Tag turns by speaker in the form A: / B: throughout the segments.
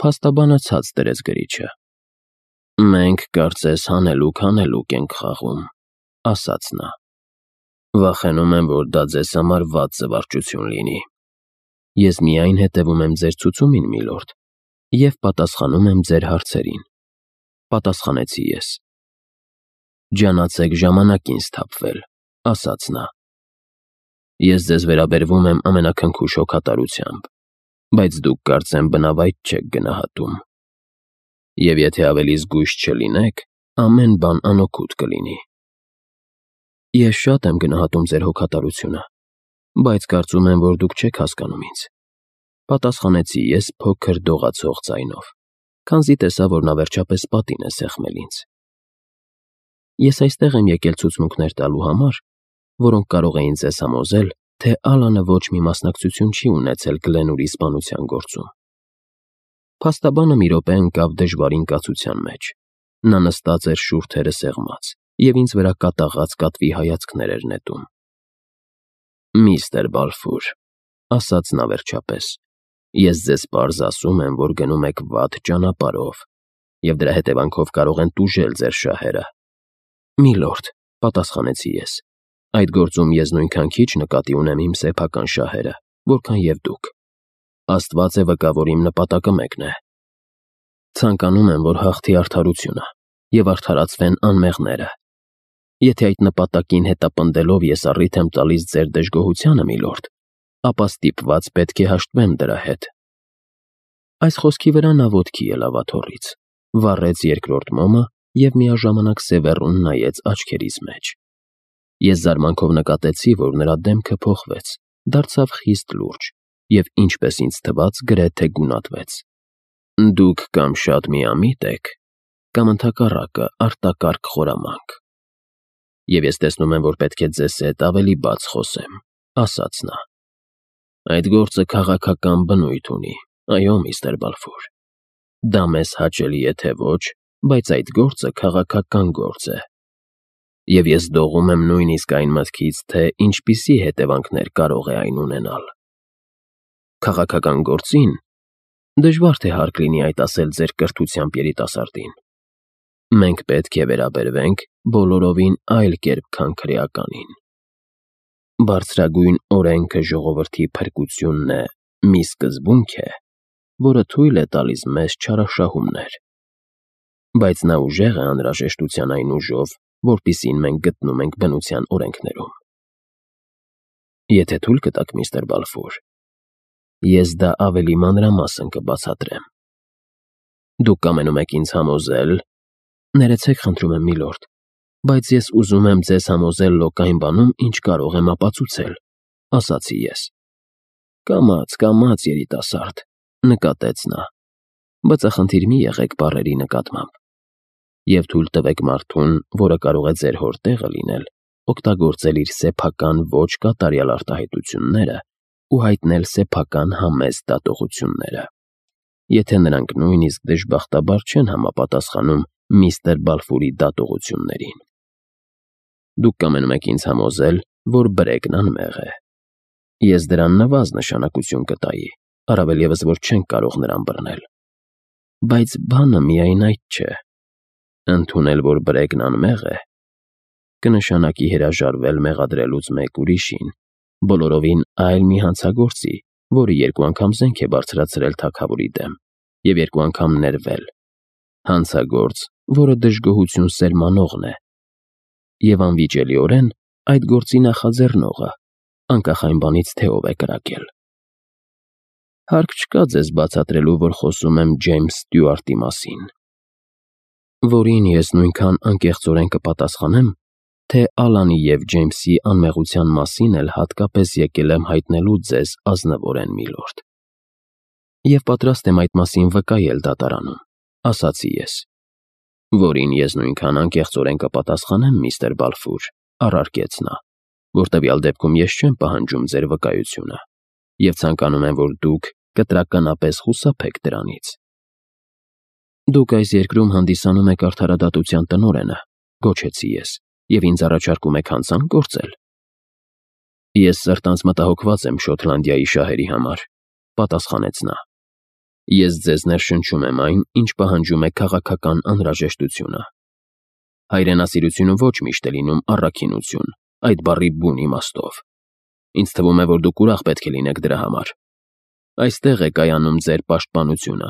A: Փաստաբանը ցած դրեց գրիչը։ «Մենք կարծես հանելուկ ենք խաղում», ասաց նա։ «Վախենում եմ, որ դա ձեզ համար վատ զվարճություն լինի։ Ես միայն հետևում եմ ձեր ցուցումին, միլորդ, և պատասխանում եմ ձեր հարցերին», պատասխանեցի ես։ «Ջանացեք ժամանակին սթափվել», ասաց նա։ «Ես ձեզ վերաբերվում եմ ամենաքնքուշ հոգատարությամբ, բայց դուք կարծեմ բնավայր չեք գնահատում։ Եվ եթե ավելի զգույշ չլինեք, ամեն բան անօգուտ կլինի»։ «Ես շատ եմ գնահատում ձեր հոգատարությունը, բայց կարծում եմ, որ դուք չեք հասկանում ինձ», պատասխանեցի ես փոքր դողացող ձայնով, քանզի տեսա, որ նա վերջապես պատին է սեղմել ինձ։ «Ես այստեղ եմ եկել ցուցմունքներ տալու համար, որոնք կարող էին ձեզ համոզել, թե Ալանը ոչ մի մասնակցություն չի ունեցել Գլենուրի սպանության գործում»։ Փաստաբանը մի րոպե ընկավ դժվարին կացության մեջ։ Նա նստած էր շուրթերը սեղմած և ինձ վրա կատաղած կատվի հայացքներ էր նետում։ «Միստր Բալֆուր», ասաց նա վերջապես, «ես ձեզ պարզ ասում եմ, որ գնում եք վատ ճանապարհով, և դրա հետևանքով կարող են տուժել ձեր շահերը»։ «Միլորդ», պատասխանեցի ես, «այդ գործում ես նույնքան քիչ նկատի ունեմ իմ սեփական շահերը, որքան և դուք։ Աստված է վկա, որ իմ նպատակը մեկն է։ Ցանկանում եմ, որ հաղթի արդարությունը և արդարացվեն անմեղները։ Եթե այդ նպատակին հետապնդելով ես առիթ եմ տալիս ձեր դժգոհությանը, միլորդ, ապա ստիպված պետք է հաշտվեմ դրա հետ»։ Այս խոսքի վրա նա ոտքի ելավ աթոռից, վառեց երկրորդ մոմը և միաժամանակ սևեռուն նայեց աչքերիս մեջ։ Ես զարմանքով նկատեցի, որ նրա դեմքը փոխվեց, դարձավ խիստ լուրջ և, ինչպես ինձ թվաց, գրեթե գունատվեց։ «Դուք կամ շատ միամիտ եք, կամ ընդհակառակը արտակարգ խորամանկ։ Եվ ես տեսնում եմ, որ պետք է ձեզ հետ ավելի բաց խոսեմ», ասաց նա։ «Այդ գործը քաղաքական բնույթ ունի, այո, միստր Բալֆուր։ Դա մեզ հաճելի է, թե ոչ, բայց այդ գործը քաղաքական գործ է։ Եվ ես դողում եմ նույնիսկ այն մտքից, թե ինչպիսի հետևանքներ կարող է այն ունենալ։ Քաղաքական գործին դժվար թե հարկ լինի այդ ասել ձեր կրթությամբ երիտասարդին։ Մենք պետք է վերաբերվենք բոլորովին այլ կերպ, քան քրեականին։ Բարձրագույն օրենքը ժողովրդի փրկությունն է մի սկզբունք է, որը թույլ է տալիս մեզ չարաշահումներ։ Բայց նա ուժեղ է անհրաժեշտության այն ուժով, որպիսին մենք գտնում ենք բնության օրենքներում։ Եթե թույլ կտաք, միստր Բալֆուր, ես դա ավելի մանրամասն կբացատրեմ։ Դուք կամենում եք ինձ համոզել… Ներեցեք, խնդրում եմ, միլորդ, բայց ես ուզում եմ ձեզ համոզել լոկ այն բանում, ինչ կարող եմ ապացուցել, ասացի ես։ Կամաց, երիտասարդ, նկատեց նա, բացախնդիր մի եղեք բառերի նկատմամբ, և թույլ տվեք մարդուն, որը կարող է ձեր հոր տեղը լինել, օգտագործել իր սեփական ոչ կատարյալ արտահայտությունները ու հայտնել սեփական համեստ դատողությունները, եթե նրանք նույնիսկ դժբախտաբար չեն համապատասխանում միստր Բալֆուրի դատողություններին։ Դուք կամենում եք ինձ համոզել, որ բրեգն անմեղ է։ Ես դրան նվազ նշանակություն կտայի, առավել ևս, որ չենք կարող նրան բռնել։ Բայց բանը միայն այդ չէ։ Ընդունել, որ բրեգն անմեղ է, կնշանակի հրաժարվել մեղադրելուց մեկ ուրիշին, բոլորովին այլ մի հանցագործի, որը 2 անգամ զենք է բարձրացրել թագավորի դեմ և 2 անգամ ներվել, հանցագործ, որը դժգոհություն սերմանողն է, և անվիճելիորեն այդ գործի նախաձեռնողը, անկախ այն բանից, թե ով է կրակել։ Հարկ չկա ձեզ բացատրելու, որ խոսում եմ Ջեյմս Ստյուարտի մասին, որին ես նույնքան անկեղծորեն կպատասխանեմ, թե Ալանի և Ջեյմսի անմեղության մասին էլ հատկապես եկել եմ հայտնելու ձեզ ազնվորեն, միլորդ։ Եվ պատրաստ եմ այդ մասին վկայել դատարանում, ասացի ես։ Որին ես նույնքան անկեղծորեն կպատասխանեմ, միստր Բալֆուր, առարկեց նա, որ տվյալ դեպքում ես չեմ պահանջում ձեր վկայությունը և ցանկանում եմ, որ դուք կտրականապես խուսափեք դրանից։ Դուք այս երկրում հանդիսանում եք արդարադատության տնօրենը, գոչեցի ես, և ինձ առաջարկում եք հանցանք գործել։ Ես սրտանց մտահոգված եմ Շոտլանդիայի շահերի համար, պատասխանեց նա։ Ես ձեզ ներշնչում եմ այն, ինչ պահանջում է քաղաքական անհրաժեշտությունը։ Հայրենասիրությունը ոչ միշտ է լինում առաքինություն, այդ բառի բուն իմաստով։ Ինձ թվում է, որ դուք ուրախ պետք է լինեք դրա համար։ Այստեղ է կայանում ձեր պաշտպանությունը,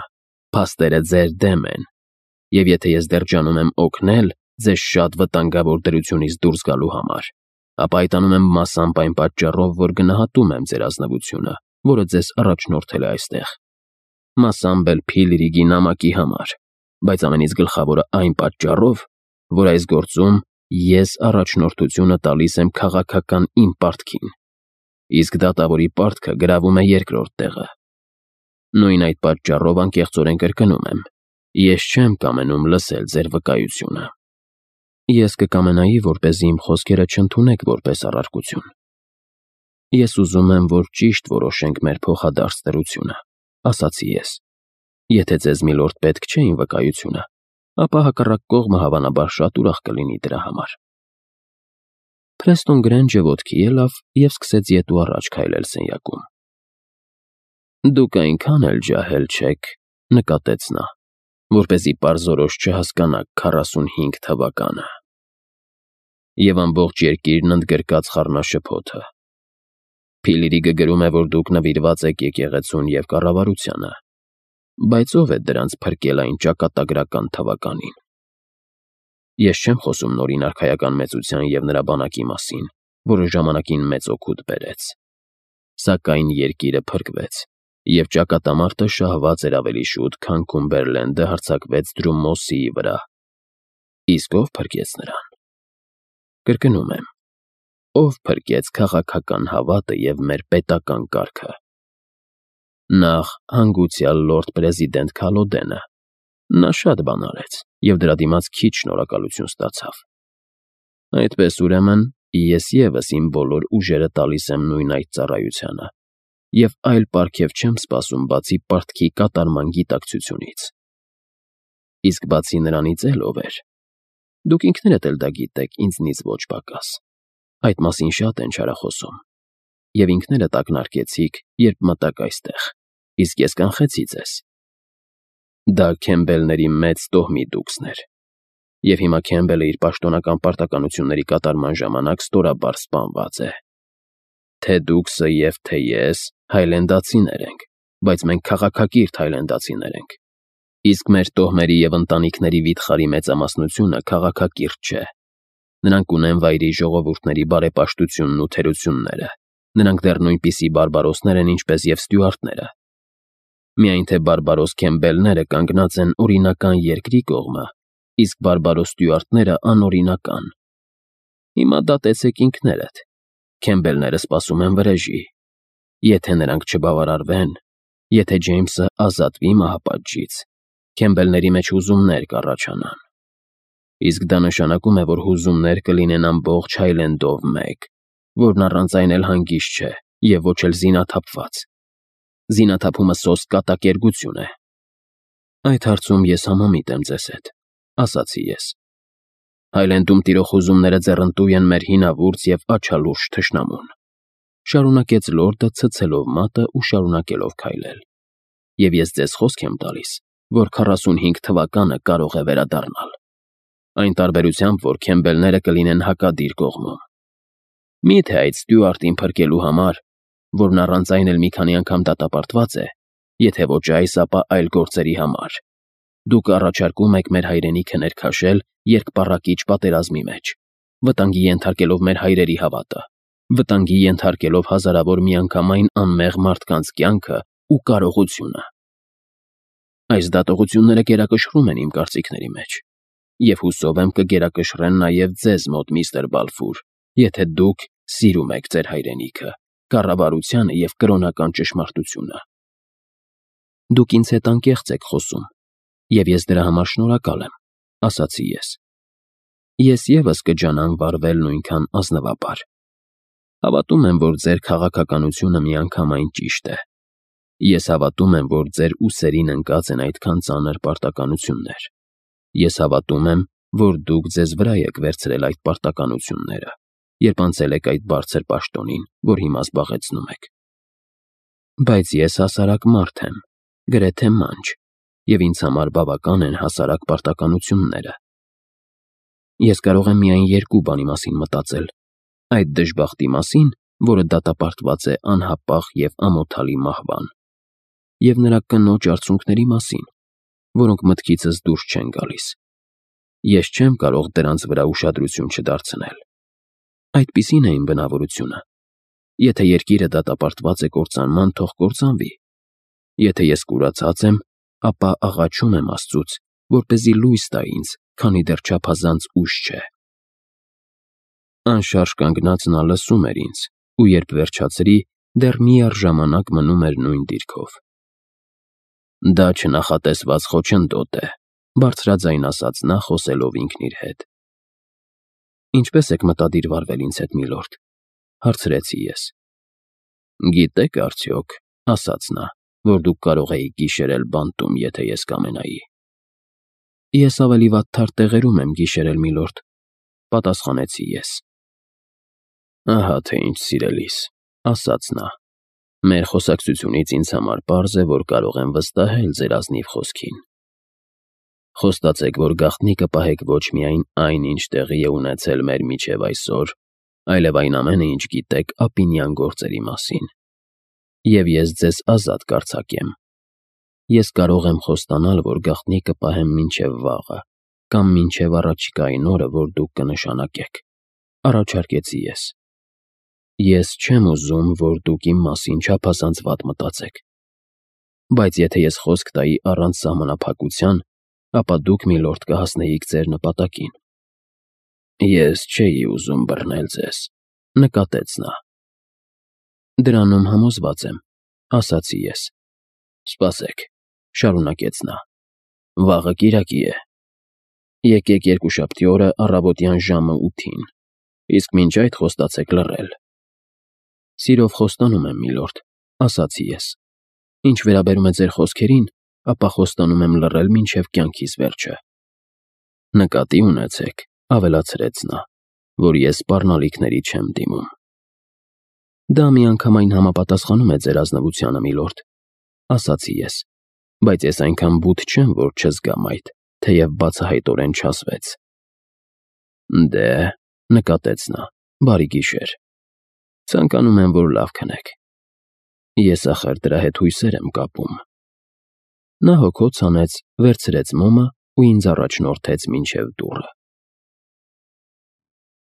A: փաստերը ձեր դեմ են, և եթե ես դեռ ջանում եմ օգնել ձեզ շատ վտանգավոր դրությունից դուրս գալու համար, ապա այդ անում եմ մասամբ այն պատճառով, որ գնահատում եմ ձեր ազնվությունը, որը ձեզ առաջնորդել է այստեղ, մասամբ էլ Փիլրիգի նամակի համար, բայց ամենից գլխավորը այն պատճառով, որ այս գործում ես առաջնորդությունը տալիս եմ քաղաքական իմ պարտքին, իսկ դատավորի պարտքը գրավում է երկրորդ տեղը։ Նույն այդ պատճառով անկեղծորեն կրկնում եմ, ես չեմ կամենում լսել ձեր վկայությունը։ Ես կկամենայի, որպեսզի իմ խոսքերը չընդունեք որպես առարկություն։ Ես ուզում եմ, որ ճիշտ որոշենք մեր փոխադարձ դրությունը, ասացի ես։ Եթե ձեզ միլորդ պետք չէ իմ վկայությունը, ապա հակառակ կողմը հավանաբար շատ ուրախ կլինի դրա համար։ Փրեստոն Գրենջը ոտքի ելավ և սկսեց ետ ու առաջ քայլել սենյակում։ Դուք այնքան էլ ջահել չեք, նկատեց նա, որպեսզի պարզորոշ չհասկանաք 45 թվականը։ Եվ ամբողջ երկիրն ընդգրկած խառնաշփոթը։ Փիլրիգը գրում է, որ դուք նվիրված եք եկեղեցուն և կառավարությանը, բայց ով է դրանց փրկել այն ճակատագրական թվականին։ Ես չեմ խոսում նորին արքայական մեծության և նրա բանակի մասին, որը ժամանակին մեծ օգուտ բերեց։ Սակայն երկիրը փրկվեց, և ճակատամարտը շահված էր ավելի շուտ, քան Քումբերլենդը հարձակվեց Դրումոսիի վրա։ Իսկ ով փրկեց նրան։ Կրկնում եմ, ով փրկեց քաղաքական հավատը և մեր պետական կարգը։ Նախ հանգուցյալ լորդ պրեզիդենտ Քալոդենը։ Նա շատ բան արեց, և դրա դիմաց քիչ շնորհակալություն ստացավ։ Այդպես ուրեմն, ես ևս իմ բոլոր ուժերը տալիս եմ նույն այդ ծառայությանը, և այլ պարգև չեմ սպասում, բացի պարտքի կատարման գիտակցությունից։ Իսկ բացի նրանից էլ ով էր։ Դուք ինքներդ էլ դա գիտեք ինձնից ոչ պակաս։ Այդ մասին շատ են չարախոսում։ Եվ ինքներդ ակնարկեցիք, երբ մտաք այստեղ, իսկ ես կանխեցի ձեզ։ Դա Քեմբելների մեծ տոհմի դուքսն էր, և հիմա Քեմբելը իր պաշտոնական պարտականությունների կատարման ժամանակ ստորաբար սպանված է։ Թե դուքսը և թե ես հայլենդացիներ ենք, բայց մենք քաղաքակիրթ հայլենդացիներ ենք, իսկ մեր տոհմերի և ընտանիքների վիթխարի մեծամասնությունը քաղաքակիրթ չէ։ Նրանք ունեն վայրի ժողովուրդների բարեպաշտությունն ու թերությունները, նրանք դեռ նույնպիսի բարբարոսներ են, ինչպես և ստյուարտները։ Միայն թե բարբարոս Քեմբելները կանգնած են օրինական երկրի կողմը, իսկ բարբարոս ստյուարտները անօրինական։ Հիմա դատեցեք ինքներդ։ Քեմբելները սպասում են վրեժի։ Եթե նրանք չբավարարվեն, եթե Ջեյմսը ազատվի մահապատժից, Քեմբելների մեջ հուզումներ կառաջանան։ Իսկ դա նշանակում է, որ հուզումներ կլինեն ամբողջ Հայլենդով մեկ, որն առանց այն էլ հանգիստ չէ և ոչ էլ զինաթափված։ Զինաթափումը սոսկ կատակերգություն է։ Այդ հարցում ես համամիտ եմ ձեզ հետ, ասացի ես։ Հայլենդում տիրող հուզումները ձեռնտու են մեր հինավուրց և աչալուրջ թշնամուն, շարունակեց լորդը ցցելով մատը ու շարունակելով քայլել։ Եվ ես ձեզ խոսք եմ տալիս, որ 45 թվականը կարող է վերադառնալ։ Այն տարբերությամբ, որ Քեմբելները կլինեն հակադիր կողմում։ Մի՞թե այդ ստյուարտին փրկելու համար, որն առանց այն էլ մի քանի անգամ դատապարտված է, եթե ոչ այս, ապա այլ գործերի համար, դուք առաջարկում եք մեր հայրենիքը ներքաշել երկպառակիչ պատերազմի մեջ, վտանգի ենթարկելով մեր հայրերի հավատը, վտանգի ենթարկելով հազարավոր միանգամայն անմեղ մարդկանց կյանքը ու կարողությունը։ Այս դատողությունները գերակշռում են իմ կարծիքների մեջ, և հուսով եմ կգերակշռեն նաև ձեզ մոտ, միստր Բալֆուր, եթե դուք սիրում եք ձեր հայրենիքը, կառավարությանը և կրոնական ճշմարտությունը։ Դուք ինձ հետ անկեղծ եք խոսում, և ես դրա համար շնորհակալ եմ, ասացի ես։ Ես ևս կջանամ վարվել նույնքան ազնվաբար։ Հավատում եմ, որ ձեր քաղաքականությունը միանգամայն ճիշտ է։ Ես հավատում եմ, որ ձեր ուսերին ընկած են այդքան ծանր պարտականություններ։ Ես հավատում եմ, որ դուք ձեզ վրա եք վերցրել այդ պարտականությունները, երբ անցել եք այդ բարձր պաշտոնին, որ հիմա զբաղեցնում եք։ Բայց ես հասարակ մարդ եմ, գրեթե մանչ, և ինձ համար բավական են հասարակ պարտականությունները։ Ես կարող եմ միայն երկու բանի մասին մտածել. այդ դժբախտի մասին, որը դատապարտված է անհապաղ և ամոթալի մահվան, և նրա կնոջ արցունքների մասին, որոնք մտքիցս դուրս չեն գալիս։ Ես չեմ կարող դրանց վրա ուշադրություն չդարձնել։ Այդպիսին է իմ բնավորությունը։ Եթե երկիրը դատապարտված է կործանման, թող կործանվի։ Եթե ես կուրացած եմ, ապա աղաչում եմ Աստծուց, որպեսզի լույս տա ինձ, քանի դեռ չափազանց ուշ չէ։ Անշարժ կանգնած նա լսում էր ինձ, ու երբ վերջացրի, դեռ միառժամանակ մնում էր նույն դիրքով։ Դա չնախատեսված խոչընդոտ է, բարձրաձայն ասաց նա, խոսելով ինքն իր հետ։ Ինչպե՞ս եք մտադիր վարվել ինձ հետ, միլորդ, հարցրեցի ես։ Գիտեք արդյոք, ասաց նա, որ դուք կարող էիք գիշերել բանտում, եթե ես կամենայի։ Ես ավելի վատ թարդ տեղերում եմ գիշերել, միլորդ, պատասխանեցի ես։ Ահա թե ինչ, սիրելիս, ասաց նա։ Մեր խոսակցությունից ինձ համար պարզ է, որ կարող եմ վստահել ձեր ազնիվ խոսքին։ Խոստացեք, որ գաղտնի կպահեք ոչ միայն այն, ինչ տեղի է ունեցել մեր միջև այսօր, այլև այն ամենը, ինչ գիտեք ապինյան գործերի մասին։ Եվ ես ձեզ ազատ կարձակեմ։ Ես կարող եմ խոստանալ, որ գաղտնի կպահեմ մինչև վաղը, կամ մինչև առաջիկային օրը, որ դուք կնշանակեք, առաջարկեցի ես։ Ես չեմ ուզում, որ դուք իմ մասին չափազանց վատ մտածեք։ Բայց եթե ես խոսք տայի առանց սահմանափակության, ապա դուք, միլորդ, կհասնեիք ձեր նպատակին։ Ես չէի ուզում բռնել ձեզ, նկատեց նա։ Դրանում համոզված եմ, ասացի ես։ Սպասեք, շարունակեց նա։ Վաղը կիրակի է։ Եկեք երկուշաբթի օրը առավոտյան ժամը 8-ին, իսկ մինչ այդ խոստացեք լռել։ Սիրով խոստանում եմ, միլորդ, ասացի ես։ Ինչ վերաբերում է ձեր խոսքերին, ապա խոստանում եմ լռել մինչև կյանքիս վերջը։ Նկատի ունեցեք, ավելացրեց նա, որ ես սպառնալիքների չեմ դիմում։ Դա միանգամայն համապատասխանում է ձեր ազնվությանը, միլորդ, ասացի ես, բայց ես այնքան բութ չեմ, որ չզգամ այդ, թեև բացահայտորեն չասվեց։ Դե, նկատեց նա, բարի գիշեր։ Ցանկանում եմ, որ լավ քնեք։ Ես ախր դրա հետ հույսեր եմ կապում։ Նա հոգոց հանեց, վերցրեց մոմը ու ինձ առաջնորդեց մինչև դուռը։